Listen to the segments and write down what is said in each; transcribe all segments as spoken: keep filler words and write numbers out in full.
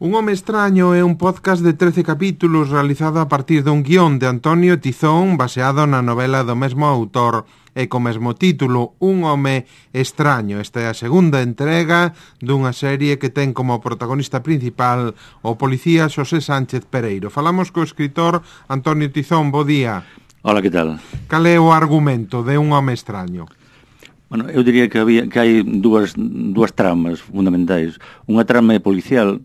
Un home extraño é un podcast de trece capítulos realizado a partir dun guión de Antonio Tizón baseado na novela do mesmo autor e co mesmo título, Un home extraño. Esta é a segunda entrega dunha serie que ten como protagonista principal o policía Xosé Sánchez Pereiro. Falamos co escritor Antonio Tizón. Bo día. Hola, que tal? Cal é o argumento de Un home extraño? Bueno, eu diría que había que hai dúas dúas tramas fundamentais. Unha trama policial,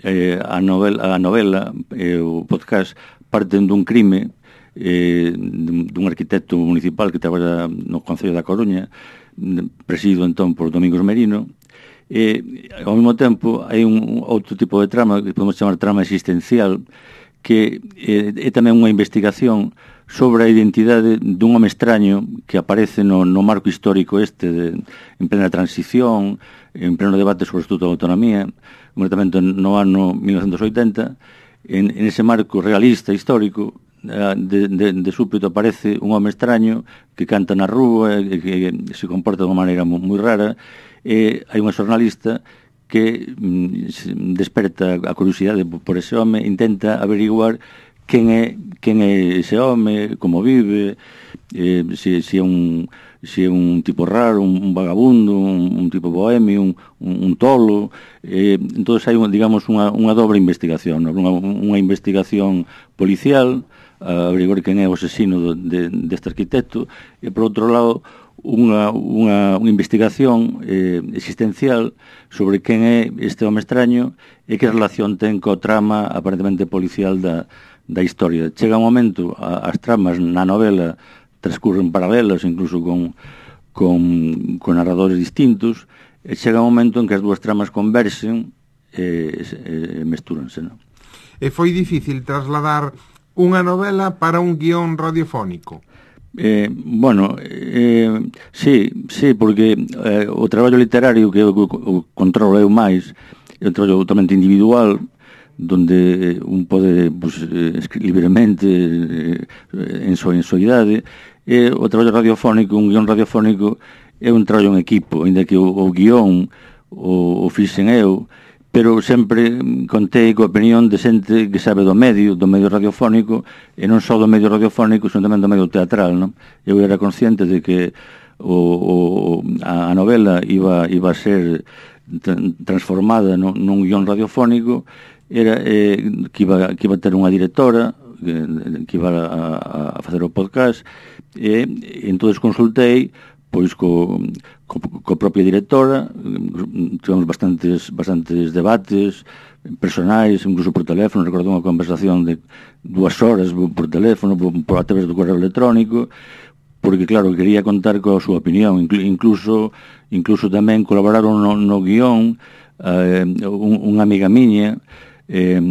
eh, a novela, a novela e eh, o podcast parten dun crime eh, dun arquitecto municipal que traballa no Concello da Coruña, presidido entón por Domingos Merino, e ao mesmo tempo hai un outro tipo de trama que podemos chamar trama existencial, que eh, é tamén unha investigación sobre a identidade dun home extraño que aparece no, no marco histórico este de, en plena transición, en pleno debate sobre o Estatuto de Autonomía, concretamente no ano mil novecentos oitenta. En, en ese marco realista histórico, de, de, de súpeto aparece un home extraño que canta na rúa, e que se comporta de unha maneira moi rara, e hai unha xornalista que mm, desperta a curiosidade por ese home, intenta averiguar quen é quen é ese home, como vive, eh, se, se é un se é un tipo raro, un, un vagabundo, un, un tipo bohemio, un, un, un tolo. Eh, entón hai, digamos, unha, unha dobre investigación, ¿no? unha, unha investigación policial, a averiguar quen é o asesino de, deste arquitecto, e por outro lado unha, unha, unha investigación eh, existencial sobre quen é este home extraño e que relación ten co trama aparentemente policial da, da historia. Chega un momento, a, as tramas na novela transcurren paralelas, incluso con, con, con narradores distintos, e chega un momento en que as dúas tramas conversen e, e, e mestúranse, non? E foi difícil trasladar unha novela para un guión radiofónico? Eh, bueno, eh, sí, sí, porque eh, o traballo literario que eu controlo eu máis é un traballo totalmente individual, donde un pode pues, escribir libremente eh, en súa en idade. E o traballo radiofónico, un guión radiofónico é un traballo en equipo, ainda que o, o guión o, o fixen eu, pero sempre contei coa opinión de xente que sabe do medio, do medio radiofónico, e non só do medio radiofónico, senón tamén do medio teatral, non? Eu era consciente de que o, o, a novela iba, iba a ser transformada nun, nun guión radiofónico, era eh, que, iba, que iba a ter unha directora que, que iba a, a facer o podcast, e entonces consultei pois co, co, co propia directora, tivemos bastantes bastantes debates personais, incluso por teléfono. Recordo unha conversación de dúas horas por teléfono, por, por a través do correo electrónico, porque claro, quería contar coa súa opinión. Incluso incluso tamén colaboraron no, no guión eh, un, unha amiga miña eh,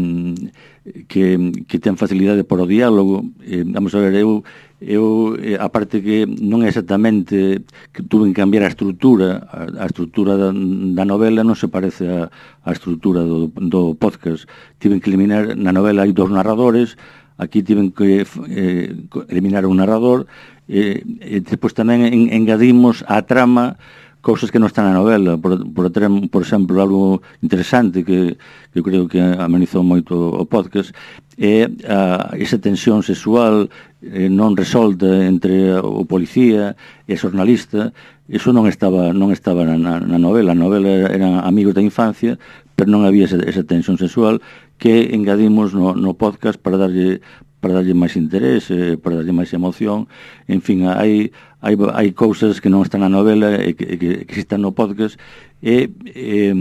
que, que ten facilidade por o diálogo. Eh, vamos a ver, eu eu, a parte que non é exactamente que tuve que cambiar a estrutura, a, a estrutura da, da novela non se parece a, a estrutura do, do podcast. Tiven que eliminar, na novela hai dos narradores, aquí tiven que eh, eliminar un narrador, e, e depois tamén en, engadimos a trama cousas que non están na novela. Por, por, por exemplo, algo interesante que, que eu creo que amenizou moito o podcast é a, esa tensión sexual eh, non resolta entre o policía e a xornalista. Iso non estaba non estaba na, na novela. A novela eran amigos da infancia, pero non había esa, esa tensión sexual que engadimos no, no podcast para darlle para darlle máis interés, eh, para darlle máis emoción. En fin, hai hai hai cousas que non están na novela e que, que, que están no podcast, e, e,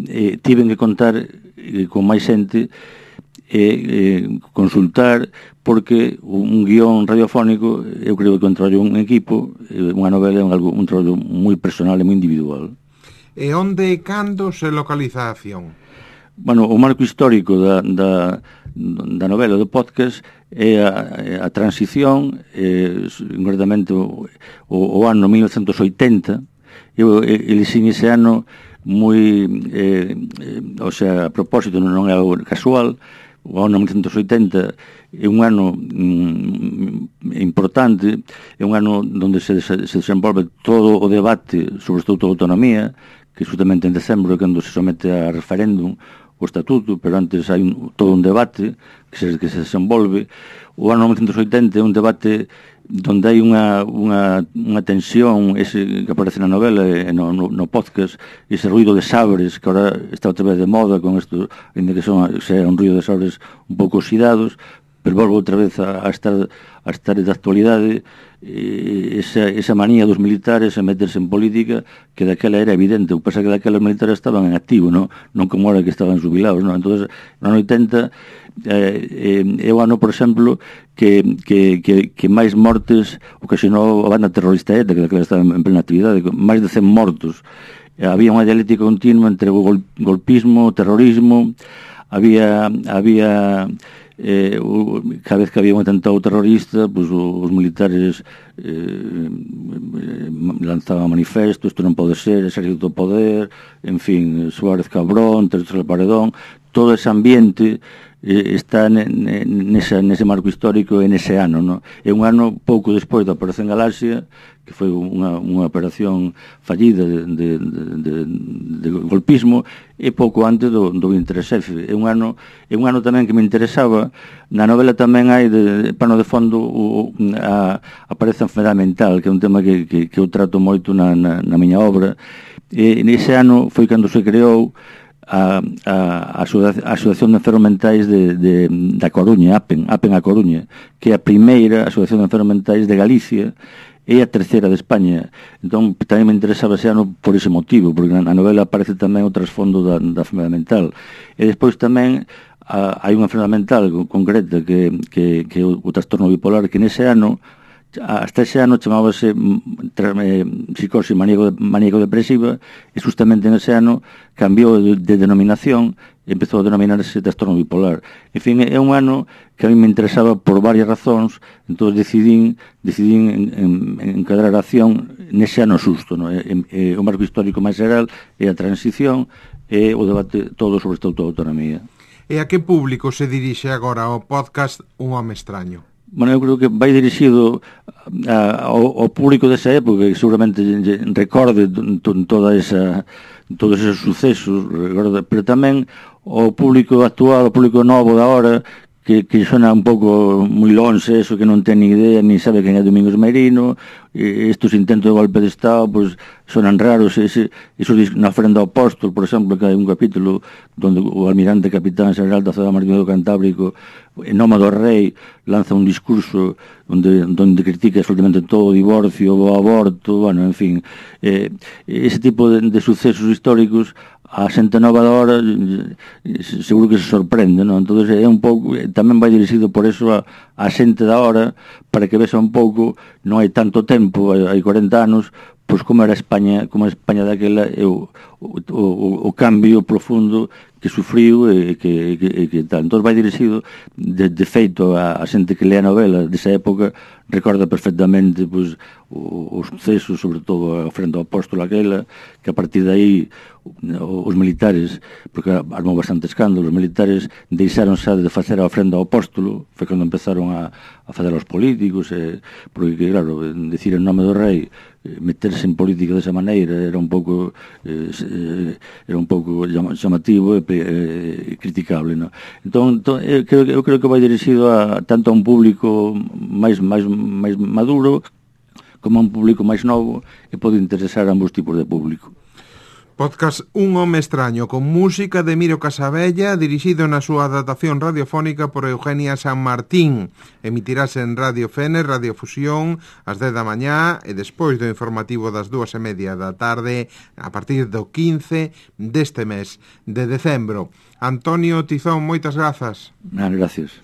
e tiven que contar eh, con máis xente e eh, consultar, porque un guión radiofónico eu creo que é un traballo un equipo, unha novela é un, algo, un traballo moi personal e moi individual. E onde e cando se localiza a acción? Bueno, o marco histórico da, da, da novela do podcast é a, a transición, eh, concretamente o, o, o ano mil novecentos oitenta. Eu elixín ese ano moi, eh, eh, o sea, a propósito, non é algo casual. O ano mil novecentos oitenta é un ano mm, importante, é un ano onde se, se desenvolve todo o debate sobre o Estatuto de Autonomía, que justamente en decembro, cando se somete a referéndum o estatuto, pero antes hai un, todo un debate que se, que se desenvolve. O ano mil novecentos e oitenta é un debate donde hai unha, unha, unha tensión, ese que aparece na novela e no, no, no podcast, ese ruido de sabres que ahora está outra vez de moda con isto, ainda que son, sea un ruido de sabres un pouco oxidados, pero volvo outra vez a, a estar a estar de actualidade, e esa, esa manía dos militares a meterse en política que daquela era evidente. O que pasa que daquela os militares estaban en activo, non, non como ahora que estaban jubilados, non? Entonces, no ano oitenta eh, é o ano, por exemplo, que, que, que, que máis mortes ocasionou a banda terrorista ETA, que daquela estaba en plena actividade, máis de cen mortos. Había unha dialéctica continua entre o gol, golpismo, o terrorismo, había había eh, o, cada vez que había un atentado terrorista, pues, os militares eh, lanzaban manifestos, isto non pode ser, exército do poder, en fin, Suárez Cabrón, Tercer Paredón, todo ese ambiente eh, está nesa, nese marco histórico e nese ano, no? É un ano pouco despois da Operación Galaxia, que foi unha, unha operación fallida de, de, de, de golpismo, e pouco antes do, do vinte e tres F. É un ano, é un ano tamén que me interesaba. Na novela tamén hai de, de pano de fondo o, a, aparece a enfermedade mental, que é un tema que, que, que eu trato moito na, na, na miña obra. E nese ano foi cando se creou a, a, a Asociación de Enfermos Mentais de, de, da Coruña, APEN, APEN a Coruña, que é a primeira Asociación de Enfermos Mentais de Galicia, é a terceira de España. Entón, tamén me interesaba ese ano por ese motivo, porque na novela aparece tamén o trasfondo da, da enfermedade mental. E despois tamén a, hai unha enfermedade mental concreta que, que, que é o, o trastorno bipolar, que nese ano, hasta ese ano chamábase eh, psicosis maníaco-depresiva, e justamente nese ano cambiou de, de denominación e empezou a denominarse trastorno bipolar. En fin, é un ano que a mí me interesaba por varias razóns, entón decidín, decidín en, en, encadrar a acción nese ano xusto, no? E, e, o marco histórico máis geral é a transición e o debate todo sobre esta autonomía. E a que público se dirixe agora o podcast Un Home Extraño? Bueno, eu creo que vai dirixido a, ao, ao público desa época, que seguramente recorde toda esa, todos esos sucesos, pero tamén ao público actual, ao público novo da hora, que, que sona un pouco moi lonxe, eso que non ten ni idea, ni sabe quen é Domingos Meirino, e estes intentos de golpe de Estado, pues, sonan raros. Ese, eso na ofrenda ao apóstol, por exemplo, que hai un capítulo donde o almirante capitán general da Zona Marítima do Cantábrico, en nome do rei, lanza un discurso onde, donde critica absolutamente todo o divorcio, o aborto, bueno, en fin, eh, ese tipo de, de sucesos históricos, a xente nova da hora seguro que se sorprende, non? Entón é un pouco, tamén vai dirixido por eso a, a xente da hora, para que vexa un pouco, non hai tanto tempo, hai corenta anos, pois como era España, como a España daquela, e o, o, o, o cambio profundo que sufriu e que, que, que tal. Entón vai dirixido, de, de feito, a, a xente que lea a novela desa época recorda perfectamente, pois, os sucesos, sobre todo a ofrenda ao apóstolo aquela, que a partir de aí os militares, porque armou bastante escándalo, os militares deixaron xa de facer a ofrenda ao apóstolo, foi cando empezaron a, a fazer aos políticos, eh, porque, claro, decir en nome do rei, meterse en política desa maneira era un pouco eh, era un pouco chamativo e eh, criticable, no? Entón, entón eu, creo, eu creo que vai dirixido a, tanto a un público máis, máis, máis maduro como a un público máis novo, e pode interesar a ambos tipos de público. Podcast Un Home Extraño, con música de Miro Casabella, dirixido na súa adaptación radiofónica por Eugenia San Martín. Emitirase en Radio Fene, Radio Fusión, ás dez da mañá, e despois do informativo das dúas e media da tarde, a partir do quince deste mes de decembro. Antonio Tizón, moitas grazas. Ah, gracias.